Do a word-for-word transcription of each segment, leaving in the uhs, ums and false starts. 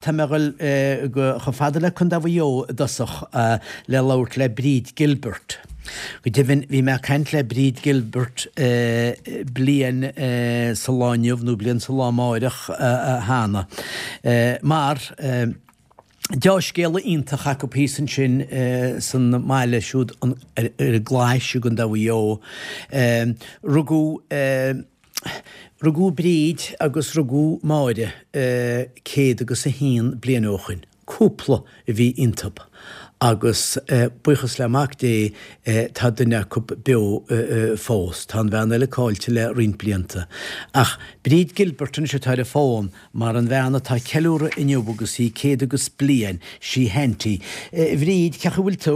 tá mé ag dul go chomh fada le Contae Mhaigh Eo i dtosach le labhairt le Bríd Gilbert. Go deimhin, bhí mé ag caint le Bríd Gilbert bliain sa lá inniu nó bliain sa lá amáireach cheana mar deá-scéala iontach acu thíos ansin san mbaile siúd ar an gClais i gContae Mhaigh Eo. Rugadh rugadh Bríd agus rugadh Máire céad agus a haon bliain ó shoin. Cúpla a bhí iontub agus buíochas le Mac Dé tá duine acu beo fós. Tá an bhean eile caillte le roinnt blianta. Ach Bríd Gilbert anois atá ar an bhfón mar an bhean atá ag ceiliúradh inniu agus í céad agus bliain, sí Auntie. Bhríd, cén chaoi a bhfuil tú?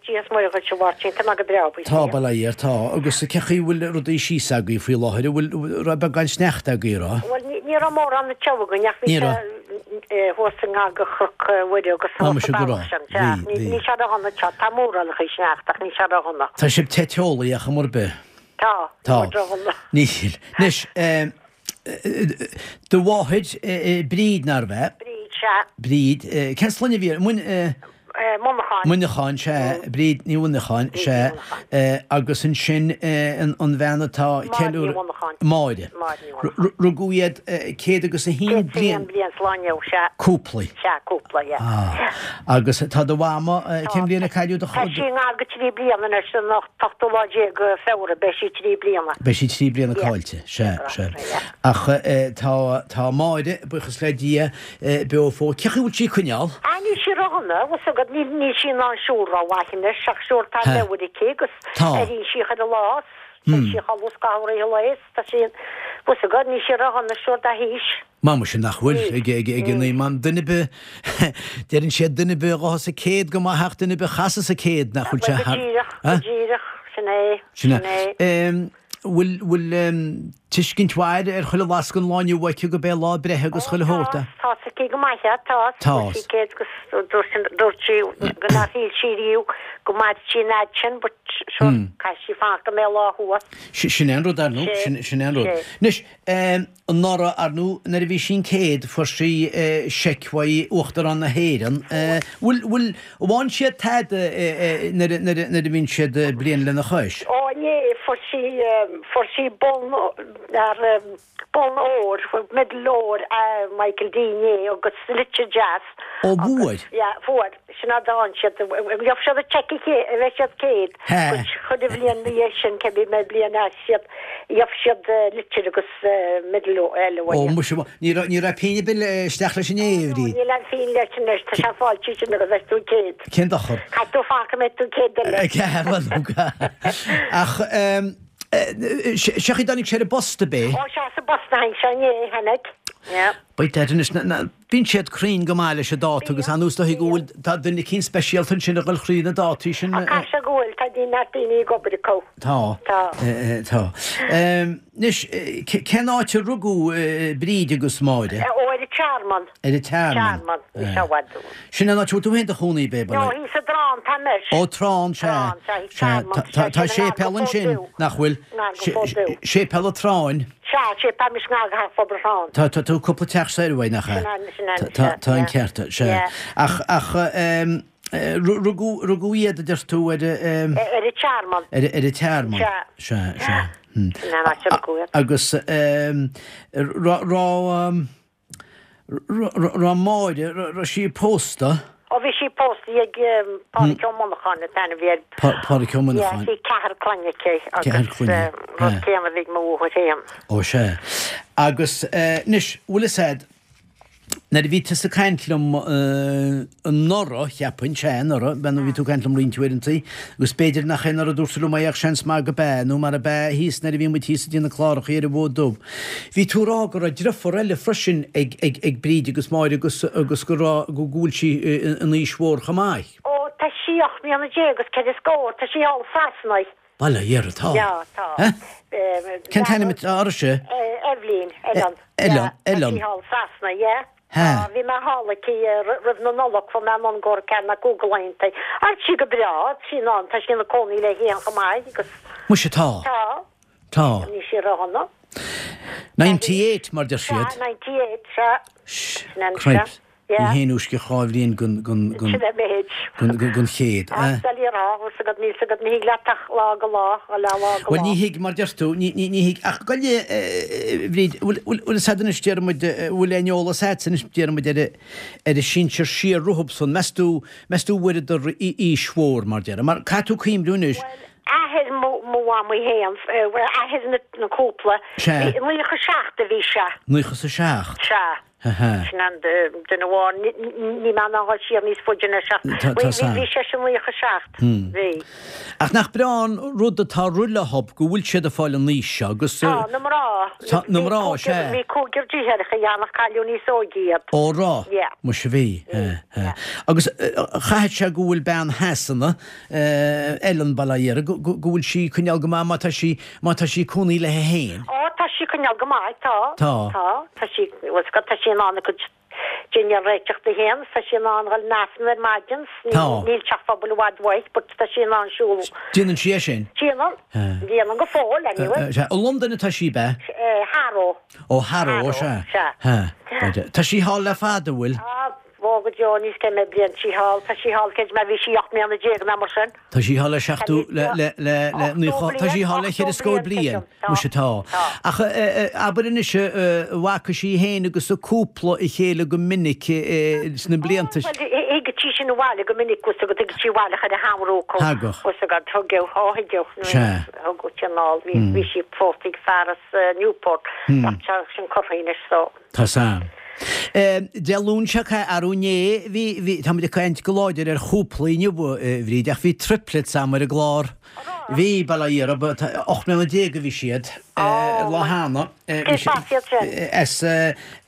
Dia is Muire dhuit, a Mháirtín, tá mé go breá, buíochas Tá, bail ó Dhia ort, tá. Agus cén chaoi a bhfuil rudaí síos agaibh faoi láthair, an bhfuil, raibh beagán sneachta agaibh, raibh? Bhuel, ní raibh mórán anseo againn ach bhí sé thuas i ngar do Chnoc Mhuire agus thuas sa bealach sin. Sea, níl sé ródhona anseo. Tá mórán chuid sneachta ach níl sé ródhona. Tá sibh te teolaí ar chuma ar bith. Tá, Tá. níl ródhona. Níl. Anois, do mháthair, Bríd, nárbh ea? Bríd, sea. Bríd, cén sloinne a bhí uirthi? Muineacháin. Muineacháin, sea. Bríd Ní Mhuineacháin, sea. Agus ansin an bhean atá Máire Ní ceiliúradh. Mhuineacháin. Máire. Máire Ní Mhuineacháin. Rugadh iad céad agus a haon Céad is a haon bliain. bliain sa lá inniu, sea. Cúpla. Sea, cúpla, yeah. Ah. Agus tá do mhama, cén bhliain a cailleadh do. Tá sí i ngar do trí bliana anois, an t-ochtú lá déag Feabhra, beidh sí trí bliana. Beidh sí trí bliana Yeah. caillte, sea, sea. Yeah. Ach tá, tá Máire, buíochas le Dia, beo fós. Cén chaoi a bhfuil sí ag coinneáil? Ah, níl sí ródhona, bhfuil 's agat, níl, níl sí in ann siúl rómhaith anois ach sure tá He. leabhair aici agus Tá. éiríonn sí chuile lá is téann sí a chodladh scaitheamh i rith an lae is tá sí, bhfuil 's agat, níl sí ródhona sure dá haois. Ma muise nach bhfuil, Níl, ag, ag, ag an níl. man duine ar bith, deireann siad duine ar bith a ghabhfas an céad go maith ach duine ar bith a chasas an céad nach bhfuil sé Bhuel, go thar, díreach, go eh? díreach, sin é, Sin é. sin é. Em, bhfuil, bhfuil, em, tuiscint mhaith ar chuile lasc an lá inniu aici go b'é lá a breithe agus chuile shórt é? Tá 's aici go maith é, tá. Tá. Dúirt sí céad agus dúirt sí go nár shíl sí riamh go mairfeadh sí an fhad sin but sure caithfidh sí fanacht go mbeidh lá thuas. Sin é an rud, ar ndóigh, Sé, sin é an rud. sé. Anois, anuraidh, ar ndóigh, nuair a bhí sí an céad, fuair sí seic uaidh Uachtarán na hÉireann. Bhfuil, bhfuil, an bhfaigheann siad tada nuair a, nuair a, nuair a bhíonn siad bliain lena chois? Ó, inné, fuair sí, fuair sí bonn ar bonn óir, medal óir Michael D inné agus litir deas. Ó, bhfuair? Yeah, fuair. Sin a d'fhan siad. Gheobhaidh siad an cheque a bheidh siad céad. He. Chuile bhliain ina dhiaidh sin, cibé mé bliain as siad, gheobhaidh siad litir agus medal eile Ó, uaidh. muise, ní raibh, ní raibh pingin ar bith isteach leis inné, a Bhríd. Níl aon phingin leis anois, tá sé fáilte sin agus beidh tú céad. Cén dochar? Caithfidh tú fanacht go mbeidh tú céad eile. Bhuel, ach sé chaoi a dtáinig sé ar an bpost ab é? Ó, sea, sa bpost a tháinig sé inné, tháinig. Yeah. By dad anois, na, bíonn siad cruinn go maith leis an dáta agus anuas dóigh go bhfuil, tá duine eicínt speisialta ansin a dhul thríd na dátaí sin. Ach caithfidh sé go bhfuil, tá neart daoine ag obair acu. Tá. Tá. Tá. Anois, cén áit a rugadh Bríd agus Máire? Ó, ar an Tearmann. Ar an Tearmann. Tearmann, ní sé i bhfad uainn. Sin an áit a bhfuil tú féin do chónaí, b'é, No, thíos i dTrán, tá anois. Ó, Trán, sea. Trán, sea, thíos Sea, Tearmann. tá, tá séipéal ansin, nach bhfuil? Ngar go Fód Dubh. Séipéal an Tráin. Sea, séipéal mis ngar go Phobal Thráin. Tá, tá, tá cúpla teach soir uaidh, nach ea? Sin é, sin é, Tá, tá, tá an sea. ceart, sea. Yeah. Ach, ach, ehm, rugadh, rugadh iad, a deir tú, ar, ehm. Ar an Tearmann. Ar, ar an Tearmann. Sea. Sea, sea. Hmm. Sin é an áit a rugadh iad. Agus, ehm, raibh, raibh, Raibh Máire, raibh sí pósta? Ó bhí sí pósta ag Pádraic Ó Monacháin an t-ainm a bhí air. Pádraic Ó Monacháin. Yeah, bhí ceathrar clainne aici agus Ceathrar clainne, rud céanna a bhí ag mo mháthair féin. Ó sea. Agus anois, bhfuil fhios a'd, nuair a bhí tusa ag caint liom anuraidh, cheapfainn, sea, anuraidh, bhean, bhí tú ag caint liom roinnt uaireantaí, agus b'fhéidir nach é anuraidh a dúirt tú liom é ach seans maith go b'ea, nó mar ab ea thíos nuair a bhí muid thíos i dTigh na Clárachaí ar an bhFód Dubh. Bhí tú ag rá go raibh driofúr eile freisin ag, ag, ag Bríd agus Máire agus, agus go raibh, go bhfuil sí in aois mhór chomh maith. Ó, tá sí ocht mbliana déag agus ceithre scór, tá sí thall i Sasana. Bail ó Dhia uirthi, tá. Yeah, tá. Eh? Cén t-ainm atá uirthise? Eibhlín, Ellen. Ellen, Ellen. Tá sí thall i Sasana, yeah. He. Tá, bhí mé thall aici roimh na Nollag, fuair mé anonn go ceann na cúig laethanta. Tá sí go breá, tá sí in ann, tá sí ina cónaí léi féin chomh maith agus. Muise, tá. Tá. Tá. Níl sí ródhona. Ninety eight, mar deir siad. Sea, ninety eight, sea. Sh, Sin an cripes. sea. Ní haon uisce dhá bhliain gon gon gon Sin é méid. gon gon gon chéad, eh? eh? Doiligh a rá, bhfuil 's agat, níl 's agat, ní thig leat ach lá go lá, lá lá go Bhuel lá. ní thig, mar deir tú, ní ní ní thig, ach gabh i leith, eh, Bhríd, bhfuil bhfuil bhfuil 'fhios a'd anois déarfaidh muid, eh, bhfuil aon eolas a'dsa anois déarfaidh muid ar a ar a sinsir siar rompu san, meas tú meas tú bhfuaireadar aois mhór mar déarfá, mar caithfidh tú cuimhniú anois, Bhuel, athair mo mo mhamaí féin, eh, bhuel athair na na cúpla, Sea. bhí naocha seacht a bhí sé. Naocha is a seacht. Sea. Aha. Sin an duine amháin, níl mé in ann dhul siar níos faide ná seacht. Tá, tá Bhí, bhí seisean naocha seacht. Bhí. Ach nach breá an rud atá roimhe go bhfuil siad ag fáil an aois seo agus. Tá, na mná. Tá, na mná, sea. Bhí cúigear deartháireacha ann ach cailleadh níos óige iad. Ó raibh? Yeah. Muise bhí. Yeah. Agus chaithfeadh sé go bhfuil bean Shasana, Ellen bail ó Dhia uirthi, go, go, go bhfuil sí coinneáil go maith má tá sí, má tá sí cónaí léi féin. Ó, tá sí coinneáil go maith, tá. Tá. Tá, tá sí, bhfuil 's agat, tá sí in ann a cuid dinnéar a réiteach di féin, tá sí in ann dhul 'na Aifreann ar maidin, Tá. níl teach pobail i bhfad uaidh, but tá sí in ann siúl. Déanann sí é sin? Déanann. Déanann go fóill, anyway. Sea, i Londain atá sí, b'ea? Harrow. Ó Harrow, sea. Sea. Ha. Tá sí thall le fada, bhfuil? Á, bhó go deo níos cé mhéad bliain sí thall, tá sí thall cé má bhí sí ocht mbliana déag nó mar sin. Tá sí thall le seachtó le le le le naoi tá sí thall le cheithre scór bliain, muise tá. Ach abair anois bhfaca sí féin agus a cúpla a chéile go minic sna blianta. Bhuel, thigeadh sí sin abhaile go minic agus go dtigeadh sí abhaile chuile shamhradh acu. Thagadh. Agus go dtugadh, ó thuigeadh, Sea. thugadh sí anall, bhí bhí sí pósta ag fear as Newport, ach tá sin curtha anois so. Tá sam. Dé Luain seo caite arú inné bhí bhí tá muid ag caint go láidir ar chúplaí inniu a Bhríd ach bhí triplets agam ar an gclár. Bhí bail ó Dhia orthu ocht mbliana déag a bhí siad lá cheana. Cé as iad sin? As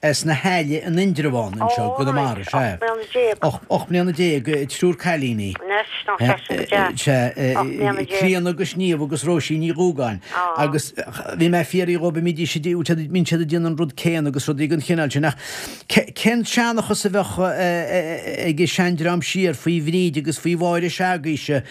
as na hAille in Indreabhán anseo Ó, gConamara right, sea. ocht mbliana déag. Ocht ocht mbliana déag triúr cailíní. Anois, nach sé sin go deas. Sea, Ocht mbliana déag. Clíona agus Niamh agus Róisín Ní Dhúgáin. Á. Agus bhí mé ag fiafraí dhóibh an mbídís an mbíonn siad ag déanamh an rud céanna agus rudaí den chineál sin ach cén seanchas a bheadh ag an seandream siar faoi Bhríd agus faoi Mháire s'agaibhse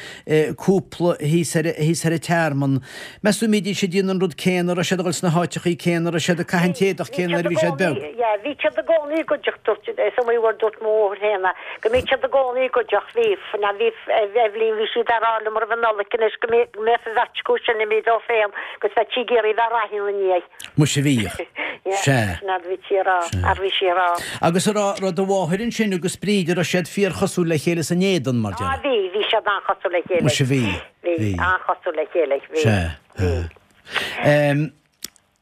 cúpla thíos ar thíos ar an tearmann. Meas tú an mbídís ag déanamh an rud céanna, raibh siad ag dul sna háiteachaí céanna, raibh siad ag caitheamh an t-éadach céanna nuair a bhí siad beag. Yeah, bhí siad i gcónaí i gcuideachta dúirt is iomaí uair dúirt mo mháthair féin go mbíodh siad i gcónaí i gcuideachta bhí na bhí Eibhlín bhí siad ar áil mar bhí Nollaig anois go mbeadh an bheirt acu sin imithe dó féin agus bheadh sí ag iarraidh bheith ar aithne ina ndiaidh. Muise bhíodh. Yeah, Sea. sin a bhí sí a rá, a bhí sí a rá. Agus a raibh raibh do mháthair ansin agus Bríd a raibh siad fíorchosúil le chéile san éadan mar Ah, déarfá. bhí, bhí siad an-chosúil le chéile. Muise bhí. Bhí, Bhí. an-chosúil le chéile, bhí. Sea. Bhí. Um,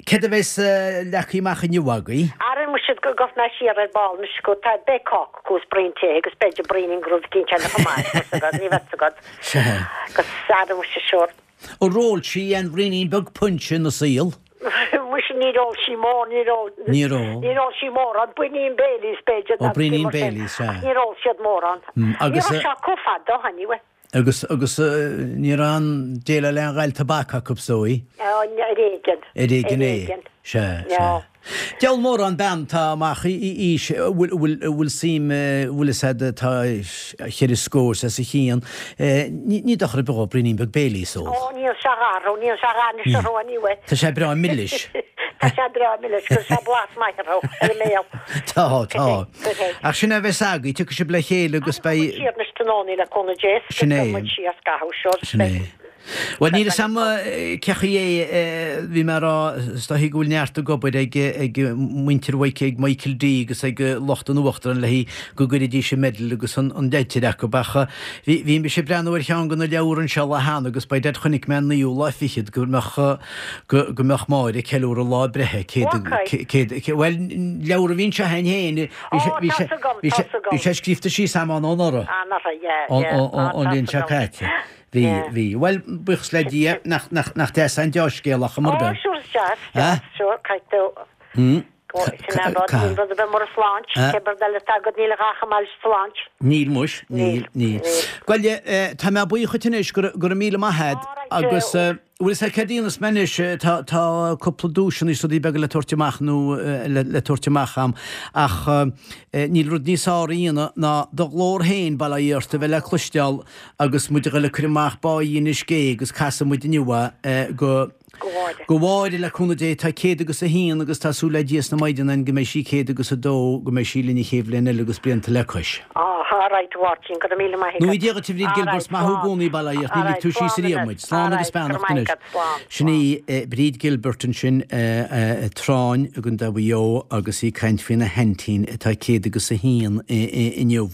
Céard a bheas leagtha amach inniu agaibh? Ara muise go gabhfaidh mé siar ar ball anois go tá beidh cáca acu is braon tae agus b'fhéidir braoinín de rud eicínt eile chomh maith, tá 's agat, ní bheadh 's agat. Sea. Agus ara muise sure. Ar ól sí aon bhraoinín beag punse ina saol? Muise níor ól sí mór, níor ól. Níor ól. Níor ól sí mórán, braoinín Baileys b'fhéidir. Ó, braoinín Baileys, sea. Ach níor ól siad mórán. Mm, agus, Ní raibh sé acu fada, anyway. Agus agus ní raibh aon déileáil le aon ghail tobac acu is dóigh? Ar éigean. Ar éigean é. Sea, Ja. sea. Deabhal mórán bean tá amach i aois bhfuil bhfuil bhfuil suim bhfuil fhios a'd tá cheithre scór is a chíonn. Ní ní dochar ar bith dhó braoinín beag Baileys a ól. Ó, níl sé dhá, níl sé dhá anois orthu anyway. Tá sé breá milis. Tá sé breá milis, cuir sé blas maith orthu ar an mbéal. Tá, tá. Go hé. Ach sin a bheas agaibh, tiocfaidh sibh le chéile agus beidh Siar anois tráthnóna le cúnamh Dé. Sin é. Muid síos gaitheamh seo. Sin é. Bhuel níl fhios a'm cé chaoi é bhí mé a rá is dóichí go bhfuil neart ag obair ag ag muintir Mhic ag Michael D agus ag lucht an Uachtaráin le go gcuirfidís an medal agus an an leitir acu ach bhí bhí mise ag breathnú ar cheann de na leabhair anseo lá cheana agus by dad chonaic mé an naoú lá fichead go mbeadh go go mbeadh Máire ag ceiliúradh lá breithe céad Okay. céad bhuel leabhar a bhí anseo againn féin bhí sé Ó, bhí sé tá 's agam, bhí tá sé 's agam. bhí sé scríofa síos agam ann anuraidh. Ah, nach yeah, Ón yeah. Ah, ón tá bhliain 's seo agam. caite. Bhí Yeah. bhí bhuel buíochas le Dia nach nach nach deas an dea-scéal ach mar Ó, be. sure, deas, Eh? deas, sure, caithfidh tú. Hmm? Go- Sin é rud, Ca- níl rud ar bith mar an sláint, Eh? cé rud eile atá agat níl a dhath chomh maith leis an sláint. Níl muis, níl, Níl, níl. níl. Bhuel, eh, tá mé buíoch anois go go raibh míle maith agat All right, agus eh, eh, Bhuel is é céard a dhéanfas mé anois, tá tá cúpla duaiseanna is rudaí beaga le tabhairt amach nó le le tabhairt amach a'm ach níl rud níos fearr a dhéanamh ná do ghlór féin, bail ó Dhia ort, a bheith le cloisteáil agus muid a ghoil ag cur amach Báí Inis Gé agus casfaidh muid inniu é go Go Mháire. Go Mháire, le cúnamh Dé, tá céad agus a haon agus tá súil le Dia is na Maighdine againn go mbeidh sí céad agus a dó, go mbeidh sí linn an chéad bhliain eile agus blianta le cois. Á, alright a Mháirtín, go raibh míle maith Nó agat. Dia dhuit a Bhríd Gilbert, Alright, maith thú i slán. gcónaí, bail ó Dhia ort, ní ligfidh Alright, tú síos slán ariamh anois. muid. Slán agus Alright, go raibh beannacht maith anois. agat, slán, Sin slán. í Bríd Gilbert ansin, Tráinn i gContae Mhaigh Eo agus í ag caint faoina haintín atá céad agus a haon inniu.